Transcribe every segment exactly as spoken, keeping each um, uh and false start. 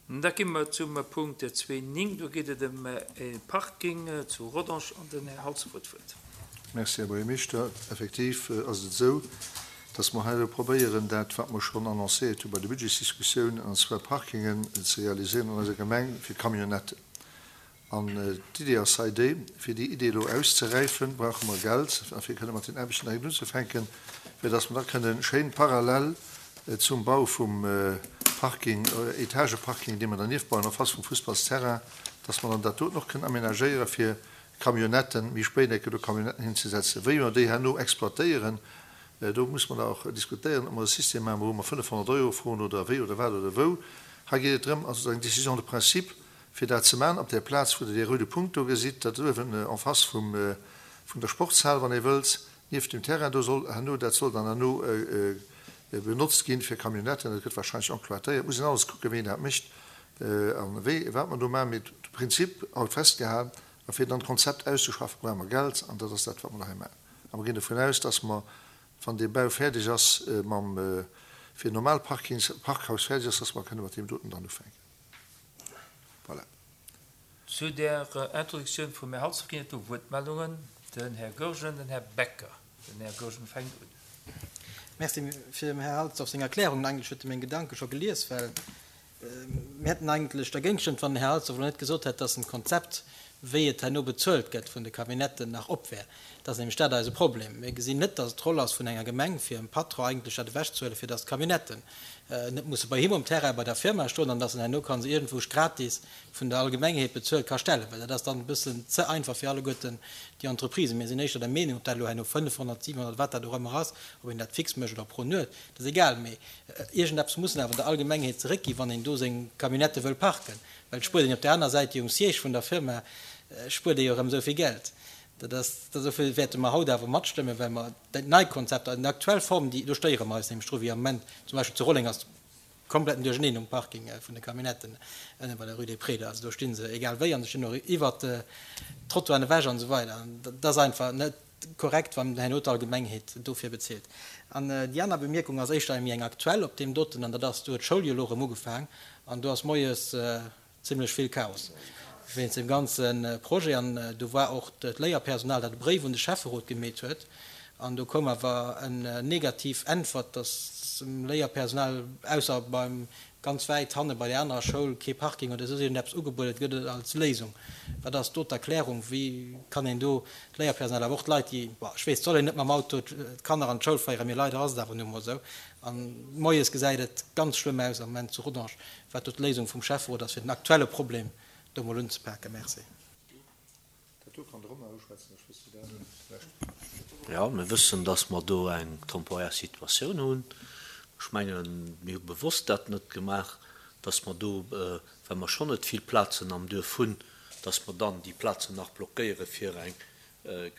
Da gi mer zum Punkt zwee néng. Do geet et ëm e Parking zu Rodange an den Här Halsdorf huet d'Wuert. Merci, Här Buergermeeschter. Effektiv ass et esou, dass mer hei elo probéieren, dat, wat mer schonn annoncéiert hu bei der Budgetsdiskussioun, an zwar Parkingen ze realiséieren an eiser Gemeng fir Camionnetten. An d'Idee ass hei déi, fir déi Idee elo auszeräifen, brauche mer Geld, a fir kënne mat den Aarbechten direkt unzefänken, fir dass mer da kënne schéin parallel zum Bau vum Parking, Etageparking, dee mer dernieft bauen, en face vum Fussballsterrain, dass mer dann dat doten och kënnen aménagéiere fir Camionnetten, méi spéit eng Kéier do Camionnetten hinzesetzen. Wéi mer déi herno exploitéieren, do muss mer da och diskutéieren, ob mer e System maachen, wou mer fënnefhonnert Euro froen oder wéi oder wat oder wou. Hei geet et drëm, also eng Décision de principe, fir dat ze maachen op där Plaz, wou Der dee roude Punkt do gesitt, dat uewen en face vum, vun der Sportshal, wann ee wëllt, nieft dem Terrain, do soll herno, dat soll dann herno benotzt ginn fir Camionnetten. Dat gëtt wahrscheinlech encloitéiert. Et muss een alles kucken, wéi een dat mécht a wéi, wat mer do maachen. Mee de Prinzip haut festgehalen. A fir dann d'Konzept auszeschaffen, brauche mer Geld. An dat ass dat, wat mer do hei maachen. A mer ginn dovun aus, dass mer, wann dee Bau fäerdeg ass, mam, fir normal Parkings, Parkhaus fäerdeg ass, dass mer kënne mat deem doten dann ufänken. Voilà. Zu der Introduktioun vum Här Halsdorf ginn et do Wuertmeldungen. Den Här Goergen, den Här Becker. Den Här Goergen fänkt un. Merci fir dem Här Halsdorf seng Erklärungen. Eigentlech huet e meng Gedanke scho gelies, well mir hätten eigentlech dergéint gestëmmt, wann den Här Halsdorf elo net gesot hätt, dass en Konzept, wéi et herno bezuelt gëtt vun de Camionnetten, nach op wär. Dat ass nämlech dat eise Problem. Mir gesinn net, dass et d'Roll ass vun enger Gemeng, fir em Patron eigentlech dat ewechzehuelen, fir dass d'Camionnetten net musse bei him um Terrain bei der Firma stoen an dass en herno ka se iergendwou gratis vun der Allgemengheet bezuelt ka stellen, well dat ass dann e bëssen ze einfach fir alleguerten déi Entreprisen. Mir sinn éischter der Meenung, ob dat elo herno fënnefhonnert, siwenhonnert, wat dat och ëmmer ass, ob een dat fix mécht oder pro Nuet, dat ass egal, mee iergendeppes muss en awer der Allgemengheet zeréckginn, wann een do seng Camionnette wëll parken, well et spuert een op där aner Säit jo um Siège vun der Firma spuert ee jo erëm esou vill Geld. Dat ass, dofir wäerte mer haut awer matstëmmen, well mer dat neit Konzept, an déi aktuell Form, déi, do stéiere mer eis nämlech dru, wéi am Moment zum Beispill zu Rolleng ass kompletten Duercherneen um Parking vun de Camionnetten ënne bei der Rue des Prés. Also do sti se egal wéi an se stinn och iwwert d'Trottoiren ewech an esou weider. An dat ass einfach net korrekt, wann herno d'Allgemengheet dofir bezilt. An déi aner Bemierkung ass éischter méi eng aktuell op deem doten, an dat ass, do huet d'Schoul jo elo erëm ugefaang an do ass moies zimlech vill Chaos wéinst deem ganze Projet. An do war och d'Léierpersonal, dat e Bréif un de Schäfferot gemeet huet. An do koum awer en negativ Äntwert, dass dem Léierpersonal, ausser beim ganz wäit hanne bei där anerer Schoul, kee Parking oder soss iergendeppes ugebuede gëtt als Léisung. Wat ass do d'Erklärung? Wéi kann een do d'Léierpersonal, awer och d'Leit, déi, bon, ech weess, et soll een net mam Auto d'Kanner an d'Schoul féieren, mee leider ass et awer nu emol esou. An moies gesäit et ganz schlëmm aus am Moment zu Rodange. Wat do d'Léisung vum Schäfferot ass, fir den aktuelle Problem do mol unzepaken. Merci. Dat do kann de Romain uschwätzen, ech wëss dat net. Jo, mir wëssen, dass mer do eng temporär Situatioun hunn. Ech mengen, mir hu bewosst dat net gemaach, dass mer do, well mer schonn net vill Plazen am Duerf hunn, dass mer dann déi Plazen nach blockéiere fir eng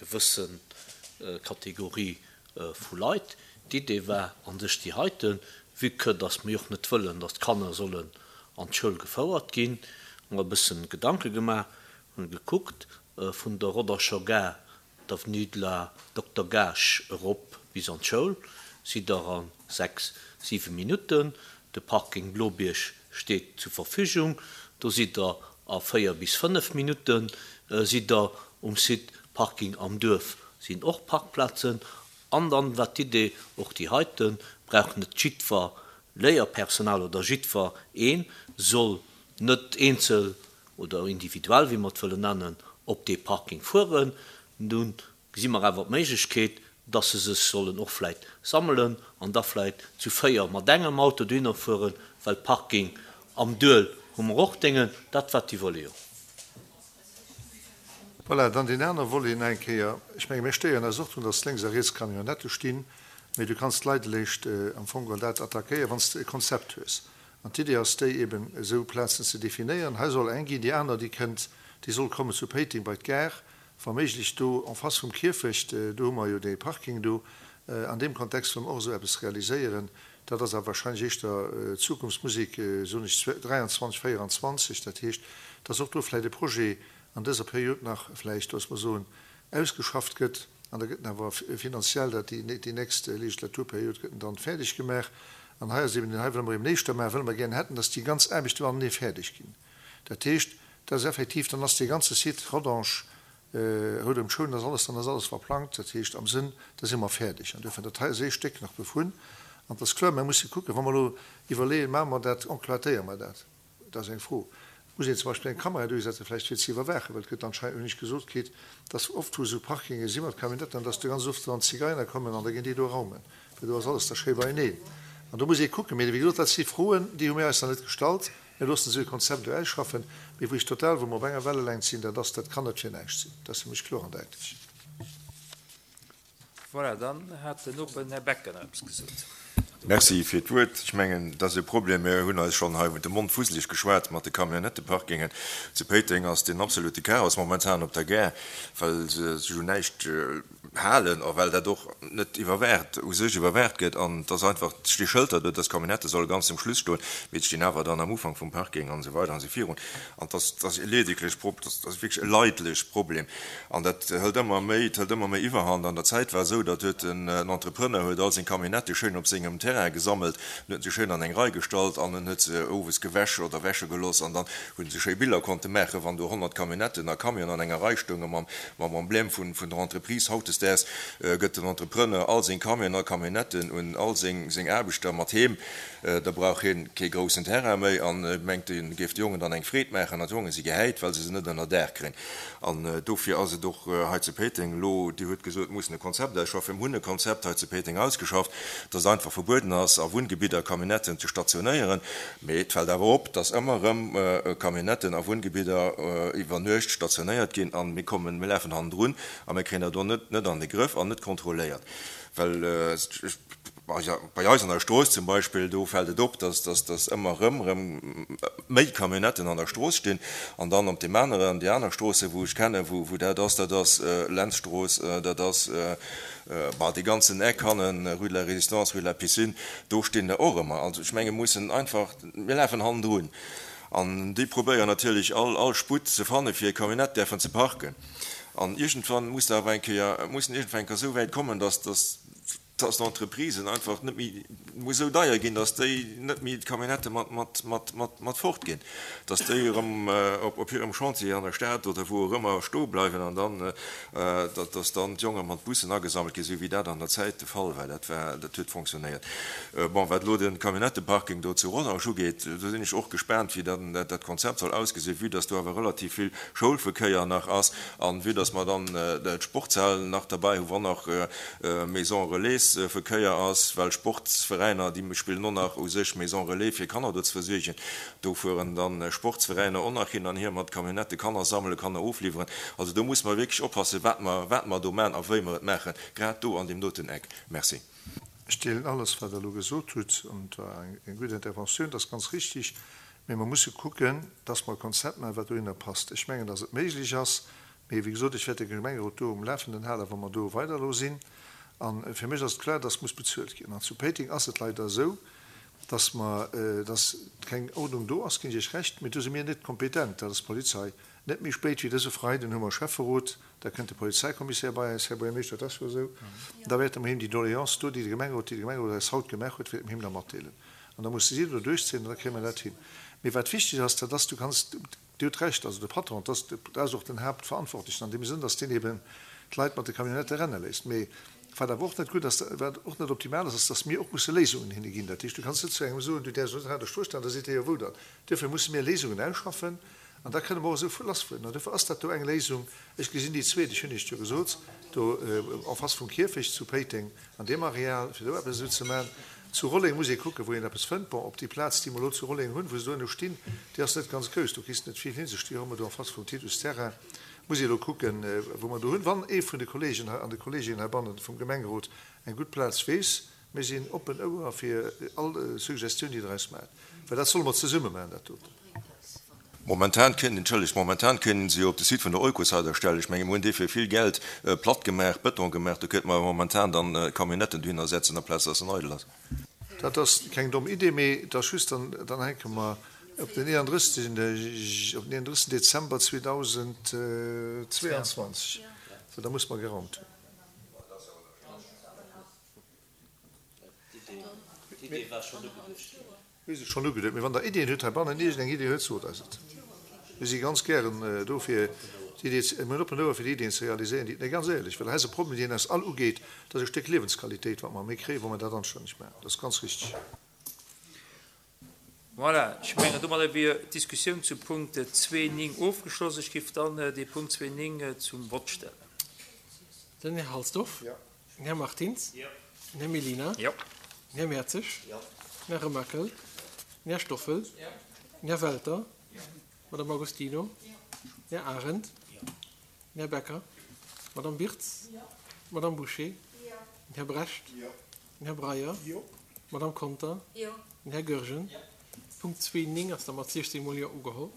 gewësse Kategorie vu Leit. D'Idee war a sech déi heiten, vue que dass mer jo och net wëllen, dass d'Kanner sollen an d'Schoul gefouert ginn, hu mer e bëssen Gedanke gemaach, hunn gekuckt, vun der Roddercher Gare, d'Avenue de la Dokter Gaasch erop bis an d'Schoul sidd Der a sechs, siwe Minutten. De Parking Blobierg steet zur Verfügung, do sidd Der a véier bis fënnef Minutte sidd Der um Site. Parking am Duerf sinn och Parkplazen. An dann war d'Idee, och déi heite brauch net jiddwer Léierpersonal oder jiddwer een soll net eenzel oder individuell, wéi mer et wëllen nennen, op dee Parking fueren. Nun gesi mer awer d'Méiglechkeet, dass se sech sollen och vläicht sammelen an da vläicht zu véier mat engem Auto dohinner fueren, well Parking am Duel hu mer och Déngen. Dat war d'Iwwerleeung. Voilà, dann deen anere Volet nach eng Kéier. Ech menge mir stéieren eis och drun, dass lénks a riets Camionnettë stinn, mee du kanns d'Leit eréischt am Fong geholl dat attackéieren, wann s de e Konzept hues. An d'Idee ass déi, eben esou Plazen ze definéieren. Hei soll eng ginn, déi aner, déi kënnt, déi soll kommen zu Péiteng bei d'Gare, wa méiglech do en face vum Kierfecht, do hu mer jo dee Parking do. An deem Kontext wëlle mer och esou eppes realiséieren. Dat ass awer wahrscheinlech éischter Zukunftsmusek, soen ech, dräianzwanzeg, véieranzwanzeg. Dat heescht, dass och do vläicht e Projet an dëser Period nach vläicht, loosse mer soen, ausgeschafft gëtt. An da gëtt en awer finanziell, dat déi nächst Legislaturperiod gëtt en dann fäerdeg gemaach. An hei ass eben, hei wëlle mer eben éischter maachen, wëlle mer gären hätten, dass déi ganz Aarbechte matenee fäerdeg ginn. Dat heescht, dat ass effektiv, dann ass dee ganze Site Rodange, Rout ëm d'Schoul, dann ass alles, dann ass alles verplangt. Dat heescht am Sënn, da si mer fäerdeg. An duerfir, dat hei ass ee Stéck nach dovun. An et ass kloer, mer musse kucken, wa mer elo iwwerleeën, maache mer dat, enclatéiere mer dat? Dat ass eng Fro. Muss een zum Beispill eng Kamera duerchsetzen, vläicht fir ze iwwerwaachen, well et gëtt anscheinend, hunn ech gesot kritt, dass oft wou esou Parkinge si mat Camionnetten, dass do ganz oft dann Zigeiner kommen an da ginn déi do raumen, well do ass alles da schéi beieneen. An do muss ee kucken. Mee wéi gesot, dat si Froen, déi hu mir eis nach net gestallt. Mir loossen esou e Konzept elo ausschaffen. Mee wou ech total, wou mer op enger Wellelängt sinn, dat ass, dat kann net fir näischt sinn. Dat ass fir mech kloer an däitlech. Voilà, dann hat den Open Här Becker nach eppes gesot. Merci fir d'Wuert. Ech mengen, dat ass e Problem, mir hunn eis schonn hei de Mond fuseleg geschwat mat de Camionnetteparkingen. Zu Péiteng ass den absolute Chaos momentan op der Gare, well se sech un näischt halen a well dat och net iwwerwaacht, u sech iwwerwaacht gëtt. An et ass einfach, et sti Schëlter do, dass d'Camionnette solle ganz zum Schluss stoen, mee et stinn awer dann am Ufank vum Parking an esou weider an esou virun. An et ass, et ass e ledeglech Pro, et ass wierklech e leidlech Problem. An dat hëlt ëmmer méi, et hëlt ëmmer méi Iwwerhand. An der Zäit war esou, datt huet en Entrepreneur huet all seng Camionnette schéin op sengem Terrain gesammelt, en huet se schéin an eng Rei gestallt an en huet se owes gewäsch oder wäsche gelooss an dann hunn se schéi Biller konnte maachen, wann do honnert Camionnetten a Camionen an enger Rei stounge mam mam Emblème vun vun der Entreprise. Hautdesdaags gëtt den Entrepreneur all seng Camionen a Camionnetten un all seng seng Aarbechter mat heem. Da brauch hien kee groussen Terrain méi an mengt, en géif de Jongen dann eng Freed maachen. An d'Jonge si gehäit, well se se net ënner Daach kréien. An dofir ass et och hei zu Péiteng elo, Dir hutt gesot, mir mussen e Konzept ausschaffen. Mir hunn e Konzept hei zu Péiteng ausgeschafft, dass et einfach verbueden ass, a Wunngebidder Camionnetten ze stationéieren. Mee et fält awer op, dass ëmmer erëm Camionnetten a Wunngebidder iwwer Nuecht stationéiert ginn. An mir kommen, mir lafen hannendrun a mir kréien dat och net net an de Grëff an net kontrolléiert. Well bei eis an der Strooss zum Beispill, do fält et op, dass dass dass ëmmer erëm erëm méi Camionnetten an der Strooss stinn. An dann op deem aneren, déi aner Stroosse wou ech kennen, wou wou dat ass, dat ass Lenzstrooss, dat ass, bah, dee ganzen Eck hannen, Rue de la Résistance, Rue de la Piscine, do stinn der och ëmmer. Also ech menge mir mussen einfach, mir lafen hannendrun. An déi probéieren natierlech all all Sputt ze fanne fir hir Camionnette däerfen ze parken. An iergendwann muss der awer eng Kéier, mussen iergendwann eng Kéier esou wäit kommen, dass dass dass d'Entreprisen einfach net méi, muss esou deier ginn, dass déi net méi d'Camionnette mat, mat, mat, mat, mat fortginn, dass déi erëm op, op hirem Chantier an der Stad oder wou och ëmmer stoe bleiwen an dann, dass dann d'Jonge mat Bussen agesammelt ginn, esou wéi dat an der Zäit de Fall war. Dat war, dat huet fonctionnéiert. Bon, wat elo de Camionnetteparking do zu Rodange ugeet, do sinn ech och gespaant, wéi dann dat Konzept soll ausgesinn, vue dass do awer relativ vill Schoulverkéier nach ass an vue dass mer dann d'Sportshal nach derbäi hu wann nach Maison Relais Verkéier ass, well Sportsveräiner, déi spillen och nach u sech Maison Relais fir Kanner do ze versuergen. Do fueren dann Sportsveräiner och nach hin an hier mat Camionnette Kanner sammelen, Kanner ofliwweren. Also do musse mer wierklech oppassen, wat mer, wat mer do maachen a wéi mer et maachen, grad do an deem doten Eck. Merci. Ech deelen alles, wat Der elo gesot hutt, an et war eng gutt Interventioun, dat ass ganz richtig. Mee mer musse kucken, dass mer e Konzept maachen, wat dohinner passt. Ech mengen, dass et méiglech ass, mee wéi gesot, ech wäert de Gemengerot do um Lafenden halen, wa mer do weider elo sinn. A fir mech ass et kloer, dass muss bezuelt ginn. An zu Péiteng ass et leider esou, dass mer, dass keng Ordnung do ass, ginn ech Iech Recht, mee do si mir net kompetent, dat ass d'Polizei. Net méi spéit wéi dëse Freiden hu mer Schäfferot, da kënnt de Polizeikommissär bei eis, Här Buergermeeschter, dat ass jo esou, da wäerte mer him déi Doléance do, déi de Gemengerot, déi de Gemengerot eis haut gemaach huet, wäerte mer him da matdeelen. An da musse si do duerchzéien an da kréie mer dat hin. Mee wat wichteg ass, dat ass, du kanns, Dir hutt Recht, also de Patron, dat ass och den Haaptverantwortlechen an deem Sënn, dass deen eben d'Leit mat de Camionnettë renne léisst. Mee wat awer och net gutt ass, wat och net optimal ass, ass, dass mir och musse Léisungen hinne ginn. Dat heescht, du kanns net zu engem soen, du däerfs net hei an der Strooss stoen, da seet dee, jo wou dann? Duerfir musse mir Léisungen ausschaffen an da kënne mer och esou lassfueren. An duerfir ass dat do eng Léisung. Ech gesinn déi zweet, ech hunn Iech et jo gesot, do en face vum Kierfecht zu Péiteng an deem Areal, fir do eppes esou ze maachen. Zu Rolleng muss ee kucken, wou een eppes fënnt. Bon, op déi Plaz, déi mer elo zu Rolleng hunn, wou se do elo stinn, déi ass net ganz grouss, do kriss de net vill hin. Se sti jo ëmmer do en face vum Titus Terrain. Muss ee elo kucken, wou mer do hunn. Wann ee vun de Kolleegen hei an de Kolleeginnen heibannen vum Gemengerot eng gutt Plaz weess, mir sinn oppen Ouer fir all Suggestioun, déi Der eis maacht, well dat solle mer zesumme maachen, dat doten. Momentan kënnen, entschëllegt, momentan kënnen se jo op de Site vun der Oikoshaus erstellen. Ech menge mir hunn dee fir vill Geld platt gemaach, Bëton gemaach. Do kéinte mer momentan dann Camionnetten dohinner setzen, amplaz dass en eidel ass. Dat ass keng domm Idee, mee et ass just, dann, dann hänke mer op den eenanddrësseg, op den eenanddrësseg Dezember zweedausendzweeanzwanzeg, well da musse mer geraumt hunn. D'Idee war schonn ugeduecht ginn. Mir si schonn ugeduecht. Mee wann Der Iddien hutt heibannen, iergendeng Idee huet, sot eis et. Mir si ganz gären do fir d'Idee ze, mir hunn oppen Ouer fir déi Iddien ze realiséieren, déi, nee ganz éierlech, well hei ass e Problem, deen eis all ugeet, dat ass e Stéck Liewensqualitéit, wat mer méi kréien, wa mer dat anstänneg maachen. Dat ass ganz richtig. Voilà, ech mengen, domadder wier d'Diskussioun zum Punkt zwee néng ofgeschloss. Ech géif dann dee Punkt zwee néng zum Vott stellen. Den Här Halsdorf. Jo. Den Här Martins. Jo. Den Här Mellina. Jo. Den Här Mertzig. Jo. Den Här Remakel. Den Här Stoffel. Jo. Den Här Welter. Jo. D'Madame Agostino. Jo. Den Här Arendt. Jo. Den Här Becker. D'Madame Birtz. Jo. D'Madame Bouché. Jo. Den Här Brecht. Jo. Den Här Breyer. Jo. D'Madame Conter. Jo. Den Här Goergen. Jo. Punkt zwee néng ass da mat siechzéng mol Jo ugeholl.